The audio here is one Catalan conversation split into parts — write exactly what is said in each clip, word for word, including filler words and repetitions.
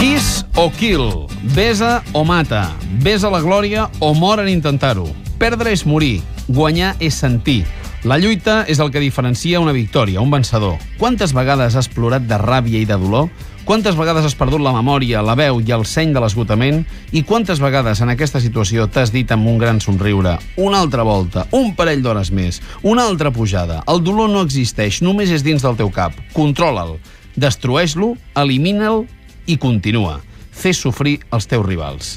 Kiss o kill, besa o mata, besa la glòria o mor en intentar-ho. Perdre és morir, guanyar és sentir. La lluita és el que diferencia una victòria, un vencedor. Quantes vegades has plorat de ràbia i de dolor? Quantes vegades has perdut la memòria, la veu i el seny de l'esgotament? I quantes vegades en aquesta situació t'has dit amb un gran somriure una altra volta, un parell d'hores més, una altra pujada? El dolor no existeix, només és dins del teu cap. Controla'l, destrueix-lo, elimina'l i continua. Fes sofrir els teus rivals.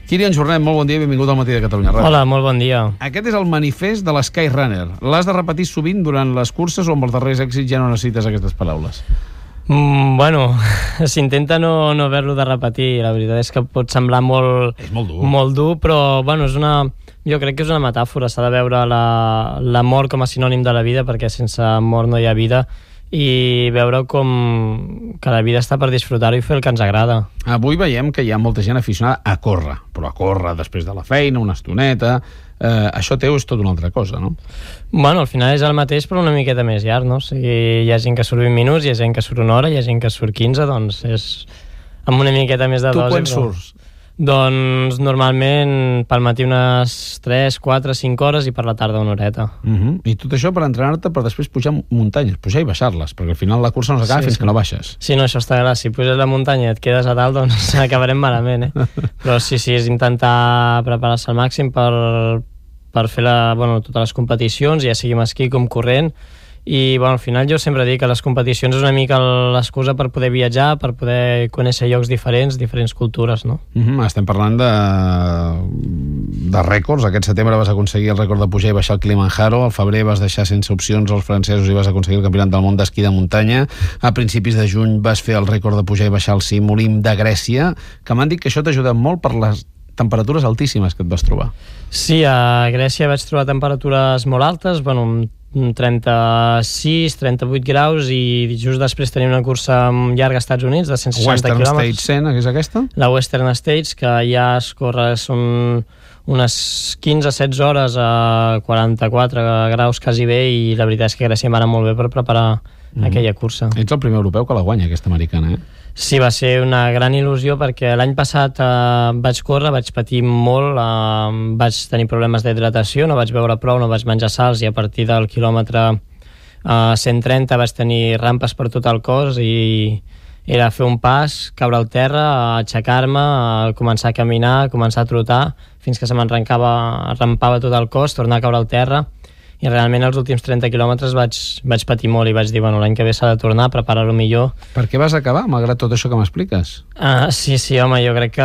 Kilian Jornet, molt bon dia i benvingut al Matí de Catalunya Ràdio. Hola, molt bon dia. Aquest és el manifest de l'Skyrunner. L'has de repetir sovint durant les curses o amb els darrers èxits ja no necessites aquestes paraules? Mm, bueno, s'intenta no, no haver-lo de repetir. La veritat és que pot semblar molt, és molt dur. molt dur, però bueno, és una, jo crec que és una metàfora. S'ha de veure la, la mort com a sinònim de la vida, perquè sense mort no hi ha vida, i veure com que la vida està per disfrutar-ho i fer el que ens agrada. Avui veiem que hi ha molta gent aficionada a córrer, però a córrer després de la feina, una estoneta. Eh, això teu és tot una altra cosa, no? Bueno, al final és el mateix, però una miqueta més llarg, no? O sigui, hi ha gent que surt vint minuts, hi ha gent que surt una hora, hi ha gent que surt quinze, doncs és amb una miqueta més de dosi. Tu quan però... surts? Doncs normalment pel matí unes tres, quatre, cinc hores i per la tarda una horeta. Uh -huh. I tot això per entrenar-te per després pujar muntanyes, pujar i baixar-les, perquè al final la cursa no s'acaba sí, fins sí. que no baixes. Sí, no, això està clar. Si puges la muntanya i et quedes a dalt, doncs acabarem malament, eh? Però sí, sí, és intentar preparar-se al màxim per, per fer la, bueno, totes les competicions, ja sigui amb esquí com corrent. I bueno, al final jo sempre dic que les competicions és una mica l'excusa per poder viatjar, per poder conèixer llocs diferents, diferents cultures, no? Uh -huh. Estem parlant de, de rècords. Aquest setembre vas aconseguir el rècord de pujar i baixar el Kilimanjaro, al febrer vas deixar sense opcions els francesos i vas aconseguir el campionat del món d'esquí de muntanya, a principis de juny vas fer el rècord de pujar i baixar el cim Olimp de Grècia, que m'han dit que això t'ha ajudat molt per les temperatures altíssimes que et vas trobar. Sí, a Grècia vaig trobar temperatures molt altes, bueno, trenta-sis, trenta-vuit graus, i just després tenia una cursa llarga als Estats Units de cent seixanta quilòmetres. Western States cent, que és aquesta? La Western States, que ja es corre, són unes quinze setze hores a quaranta-quatre graus quasi bé, i la veritat és que Grècia em va anar molt bé per preparar mm. aquella cursa. Ets el primer europeu que la guanya, aquesta americana, eh? Sí, va ser una gran il·lusió, perquè l'any passat eh, vaig córrer, vaig patir molt, eh, vaig tenir problemes d'hidratació, no vaig beure prou, no vaig menjar sals, i a partir del quilòmetre eh, cent trenta vaig tenir rampes per tot el cos, i era fer un pas, caure al terra, aixecar-me, començar a caminar, començar a trotar, fins que se m'arrencava, arrampava tot el cos, tornar a caure al terra, i realment els últims trenta quilòmetres vaig, vaig patir molt, i vaig dir, bueno, l'any que ve s'ha de tornar a preparar-ho millor. Per què vas acabar, malgrat tot això que m'expliques? Uh, sí, sí, home, jo crec que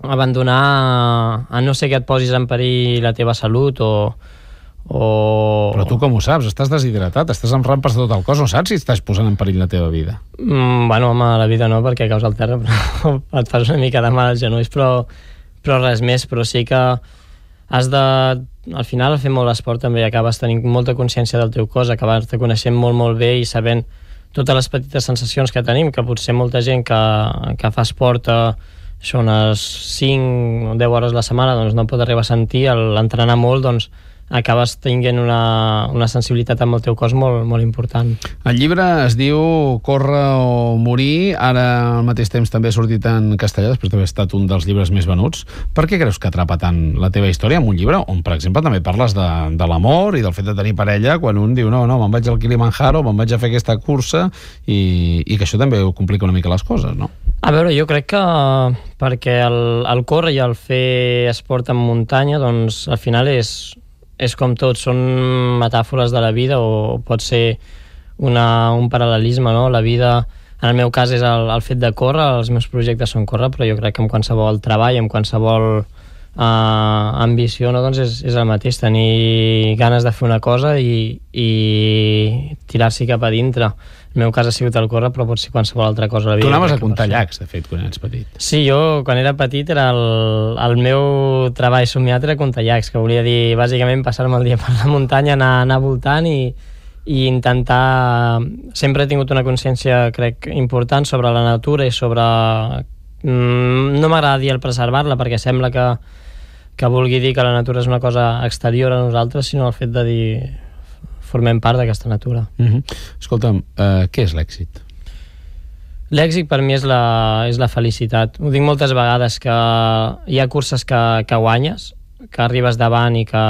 abandonar, a no ser que et posis en perill la teva salut o... o... Però tu com ho saps? Estàs deshidratat, estàs amb rampes de tot el cos, no saps si estàs posant en perill la teva vida? Mm, bueno, home, la vida no, perquè caus al terra, però et fas una mica de mal als genolls, però, però res més, però sí que has de... Al final, al fer molt esport també acabes tenint molta consciència del teu cos, acabes te coneixent molt, molt bé i sabent totes les petites sensacions que tenim, que potser molta gent que, que fa esport eh, això unes cinc o deu hores a la setmana doncs no pot arribar a sentir. L'entrenar molt, doncs acabes tenint una, una sensibilitat amb el teu cos molt, molt important. El llibre es diu Córrer o morir, ara al mateix temps també ha sortit en castellà, després d'haver estat un dels llibres més venuts. Per què creus que atrapa tant la teva història amb un llibre on, per exemple, també parles de, de l'amor i del fet de tenir parella, quan un diu, no, no, me'n vaig al Kilimanjaro, me'n vaig a fer aquesta cursa, i, i que això també ho complica una mica les coses, no? A veure, jo crec que perquè el, el córrer i el fer esport en muntanya, doncs al final és és com tot, són metàfores de la vida, o pot ser una, un paral·lelisme, no? La vida, en el meu cas, és el, el fet de córrer, els meus projectes són córrer, però jo crec que amb qualsevol treball, amb qualsevol eh, ambició, no? Doncs és, és el mateix, tenir ganes de fer una cosa i, i tirar-s'hi cap a dintre. El meu cas ha sigut el córrer, però pot ser qualsevol altra cosa a la vida. Tu anaves a comptar llacs, de fet, quan eres petit. Sí, jo, quan era petit, era el, el meu treball somiat era comptar llacs, que volia dir, bàsicament, passar-me el dia per la muntanya, anar, anar voltant i, i intentar... Sempre he tingut una consciència, crec, important sobre la natura i sobre... Mm, no m'agrada dir el preservar-la, perquè sembla que, que vulgui dir que la natura és una cosa exterior a nosaltres, sinó el fet de dir... formem part d'aquesta natura. Uh-huh. Escolta'm, uh, què és l'èxit? L'èxit per mi és la, és la felicitat. Ho dic moltes vegades, que hi ha curses que, que guanyes, que arribes davant i que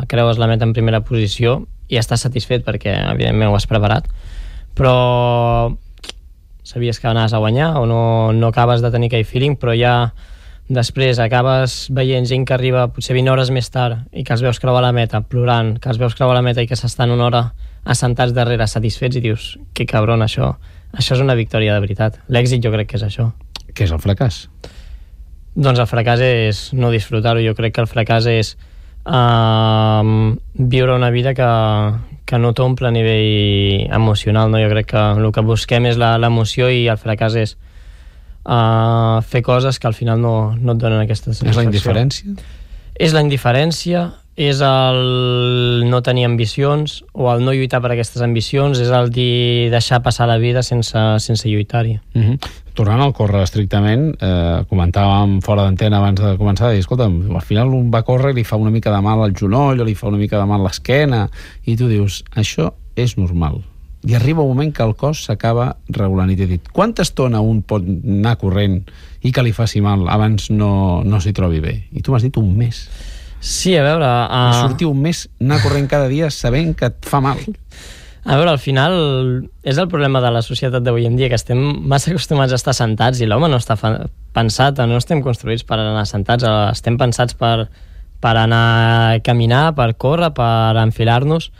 creues la meta en primera posició i estàs satisfet perquè evidentment ho has preparat, però sabies que anaves a guanyar o no, no acabes de tenir aquell feeling, però ja després acabes veient gent que arriba potser vint hores més tard i que els veus creuar la meta plorant, que els veus creuar la meta i que s'estan una hora assentats darrere satisfets i dius, que cabron, això això és una victòria de veritat. L'èxit jo crec que és això. Què és el fracàs? Doncs el fracàs és no disfrutar-ho. Jo crec que el fracàs és uh, viure una vida que, que no t'omple a nivell emocional, no? Jo crec que el que busquem és l'emoció i el fracàs és uh, fer coses que al final no, no et donen aquesta satisfacció. És la indiferència? És la indiferència, és el no tenir ambicions o el no lluitar per aquestes ambicions, és el dir deixar passar la vida sense, sense lluitar-hi. Uh-huh. Tornant al córrer estrictament, eh, comentàvem fora d'antena abans de començar, i escolta, al final un va córrer i li fa una mica de mal al genoll o li fa una mica de mal l'esquena i tu dius, això és normal. I arriba un moment que el cos s'acaba regulant i t'he dit, quanta estona un pot anar corrent i que li faci mal abans no, no s'hi trobi bé? I tu m'has dit un mes. Sí, a veure... Uh... Sortir un mes, anar corrent cada dia sabent que et fa mal. A veure, al final és el problema de la societat d'avui en dia, que estem massa acostumats a estar sentats i l'home no està pensat, no estem construïts per anar sentats, estem pensats per, per anar a caminar, per córrer, per enfilar-nos,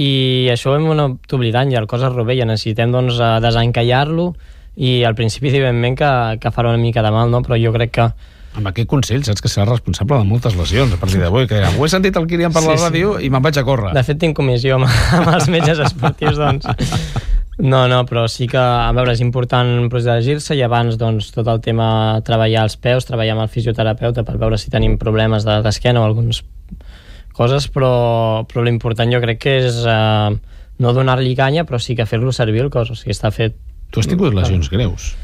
i això ho hem anat oblidant i el cos es rovella, necessitem doncs desencallar-lo i al principi evidentment que, que farà una mica de mal, no? Però jo crec que amb aquest consell saps que serà responsable de moltes lesions a partir d'avui, que ho he sentit el Kilian per sí, la ràdio sí. I me'n vaig a córrer. De fet tinc comissió amb, amb els metges esportius, doncs no, no, però sí que a veure, és important protegir-se i abans doncs tot el tema treballar els peus, treballar amb el fisioterapeuta per veure si tenim problemes d'esquena o algunes coses, però, però l'important jo crec que és eh, no donar-li canya, però sí que fer-lo servir el cos, o sigui, està fet. Tu has tingut lesions greus?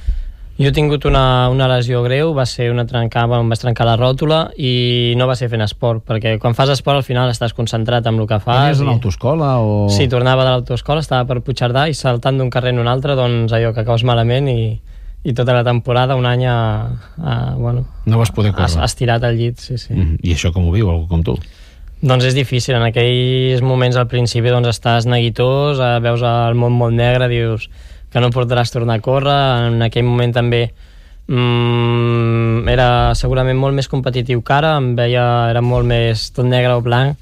Jo he tingut una, una lesió greu, va ser una trencada, em vaig trencar la ròtula i no va ser fent esport, perquè quan fas esport al final estàs concentrat en el que fas. Tenies una autoescola o...? Sí, tornava de l'autoescola, estava per Puigcerdà i saltant d'un carrer en un altre, doncs allò que caus malament i, i tota la temporada, un any a, a, bueno... No vas poder córrer. Estirat al llit, sí, sí. Mm, I això com ho viu, algú com tu? Doncs és difícil, en aquells moments al principi doncs estàs neguitós, veus el món molt negre, dius que no podràs tornar a córrer, en aquell moment també mm, era segurament molt més competitiu que ara, em veia, era molt més tot negre o blanc,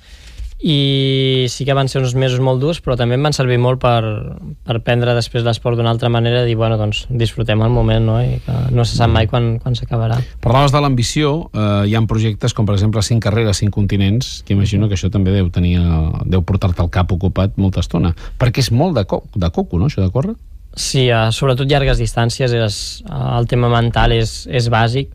i sí que van ser uns mesos molt durs, però també em van servir molt per, per prendre després l'esport d'una altra manera i dir, bueno, doncs disfrutem el moment, no? I que no se sap mai quan, quan s'acabarà. Parlaves de l'ambició, eh, hi ha projectes com per exemple cinc carreres, cinc continents, que imagino que això també deu tenir, deu portar-te al cap ocupat molta estona, perquè és molt de, co de coco, no?, això de córrer? Sí, uh, sobretot llargues distàncies, és, uh, el tema mental és, és bàsic.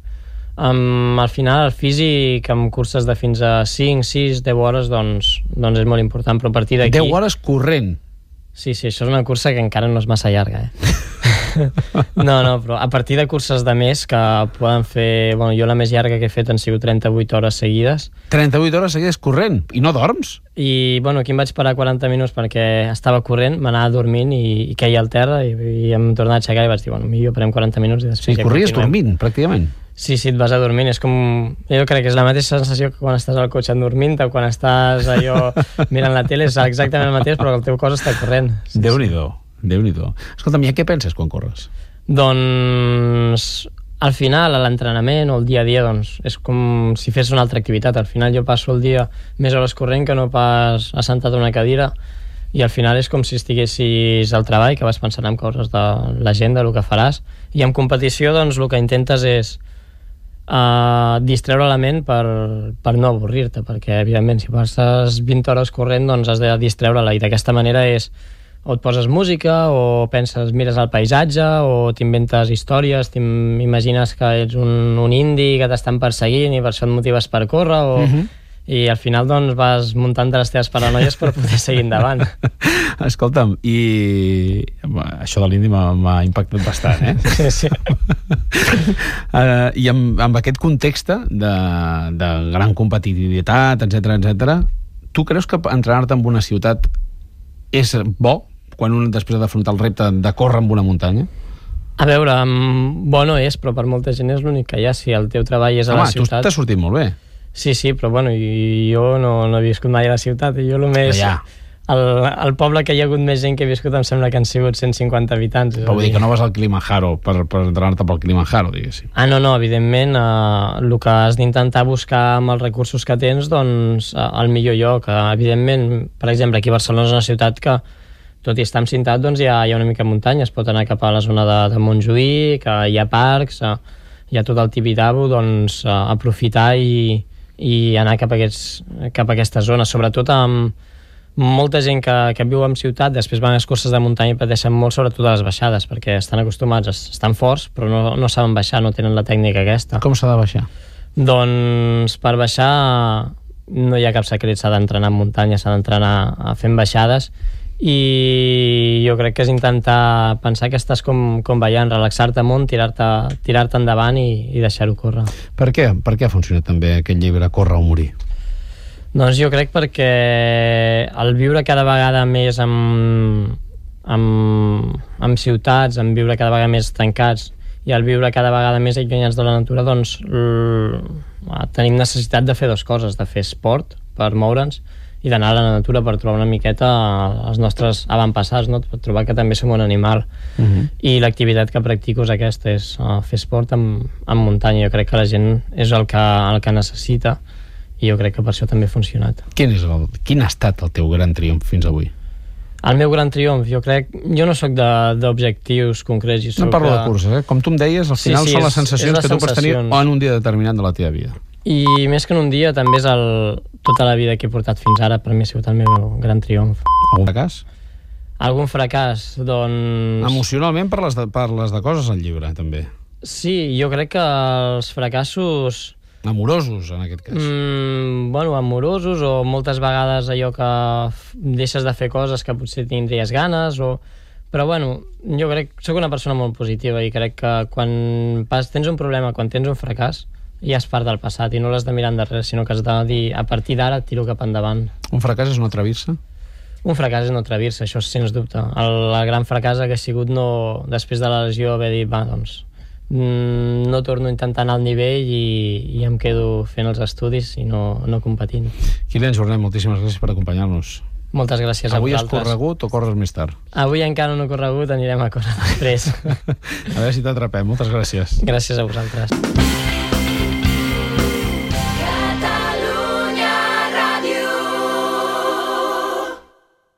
Um, al final el físic amb curses de fins a cinc, sis, deu hores doncs, doncs és molt important, però a partir d'aquí... deu hores corrent? Sí, sí, això és una cursa que encara no és massa llarga, eh? No, no, però a partir de curses de més que poden fer... Bueno, jo la més llarga que he fet han sigut trenta-vuit hores seguides. trenta-vuit hores seguides corrent? I no dorms? I, bueno, aquí em vaig parar quaranta minuts perquè estava corrent, m'anava dormint i, i queia al terra i, i em tornava a aixecar i vaig dir, bueno, millor parem quaranta minuts i després sí, ja corries dormint, pràcticament? Sí, sí, et vas a dormir, és com... Jo crec que és la mateixa sensació que quan estàs al cotxe dormint o quan estàs allò mirant la tele, és exactament el mateix, però el teu cos està corrent. Sí, Déu-n'hi-do, sí. Déu-n'hi-do. Escolta'm, i a què penses quan corres? Doncs al final, a l'entrenament o el dia a dia, doncs, és com si fes una altra activitat. Al final jo passo el dia més hores corrent que no pas assentat a una cadira i al final és com si estiguessis al treball, que vas pensant en coses de l'agenda, el que faràs, i en competició doncs el que intentes és uh, distreure la ment per, per no avorrir-te, perquè evidentment si passes vint hores corrent doncs has de distreure-la i d'aquesta manera és o et poses música o penses, mires el paisatge o t'inventes històries, t'imagines que ets un, un indi que t'estan perseguint i per això et motives per córrer o... Uh-huh. I al final doncs vas muntant les teves paranoies per poder seguir endavant. Escolta'm, i això de l'indi m'ha impactat bastant, eh? Sí, sí. uh, I amb, amb aquest context de, de gran competitivitat, etcètera, etcètera, tu creus que entrenar-te en una ciutat és bo quan un després ha d'afrontar el repte de córrer en una muntanya? A veure, bo no és, però per molta gent és l'únic que hi ha. Si el teu treball és a Home, la ciutat... Home, tu t'has sortit molt bé. Sí, sí, però bueno, jo no, no he viscut mai a la ciutat. I jo només... Ja. El, el poble que hi ha hagut més gent que he viscut em sembla que han sigut cent cinquanta habitants. Però vull dir que no vas al Kilimanjaro per, per entrenar-te pel Kilimanjaro, diguéssim. Ah, no, no, evidentment, eh, el que has d'intentar buscar amb els recursos que tens, doncs, eh, el millor lloc. Eh, evidentment, per exemple, aquí a Barcelona és una ciutat que, tot i estar encintat, doncs hi ha, hi ha una mica de muntanya. Es pot anar cap a la zona de, de Montjuïc, que hi ha parcs, eh, hi ha tot el Tibidabo, doncs, eh, aprofitar i, i anar cap a, aquests, cap a aquesta zona, sobretot amb molta gent que, que viu en ciutat, després van a les curses de muntanya i pateixen molt, sobretot a les baixades, perquè estan acostumats, estan forts, però no, no saben baixar, no tenen la tècnica aquesta. Com s'ha de baixar? Doncs per baixar no hi ha cap secret, s'ha d'entrenar en muntanya, s'ha d'entrenar fent baixades, i jo crec que és intentar pensar que estàs com, com ballant, relaxar-te amunt, tirar-te tirar endavant i, i deixar-ho córrer. Per què? Per què ha funcionat també aquest llibre Córrer o morir? Doncs jo crec perquè el viure cada vegada més amb, amb, amb ciutats, amb viure cada vegada més tancats i el viure cada vegada més allunyats de la natura, doncs l... tenim necessitat de fer dues coses, de fer esport per moure'ns i d'anar a la natura per trobar una miqueta els nostres avantpassats, no? Per trobar que també som un animal. Uh-huh. I l'activitat que practico és aquesta, és uh, fer esport en, en muntanya. Jo crec que la gent és el que, el que necessita i jo crec que per això també ha funcionat. Quin, és el, quin ha estat el teu gran triomf fins avui? El meu gran triomf, jo crec... Jo no sóc d'objectius concrets. Jo no parlo que... de curses, eh? Com tu em deies, al final sí, sí, són les sensacions que tu pots tenir en un dia determinat de la teva vida. I més que en un dia, també és el, tota la vida que he portat fins ara, per mi ha sigut el meu gran triomf. Algun fracàs? Algun fracàs, doncs... Emocionalment parles de, parles de coses al llibre, també. Sí, jo crec que els fracassos... Amorosos, en aquest cas. Mm, bueno, amorosos, o moltes vegades allò que deixes de fer coses que potser tindries ganes, o... Però, bueno, jo crec que soc una persona molt positiva i crec que quan pas, tens un problema, quan tens un fracàs, ja és part del passat i no l'has de mirar endarrere, sinó que has de dir, a partir d'ara tiro cap endavant. Un fracàs és no atrevir-se? Un fracàs és no atrevir-se, això sens dubte. El, el gran fracàs ha sigut no, després de la lesió, haver dit, va, doncs, no torno a intentar anar al nivell i, i em quedo fent els estudis i no, no competint. Kilian Jornet, moltíssimes gràcies per acompanyar-nos. Moltes gràcies a Avui vosaltres. Avui has corregut o corres més tard? Avui encara no he corregut, anirem a córrer després. A veure si t'atrapem. Moltes gràcies. Gràcies a vosaltres.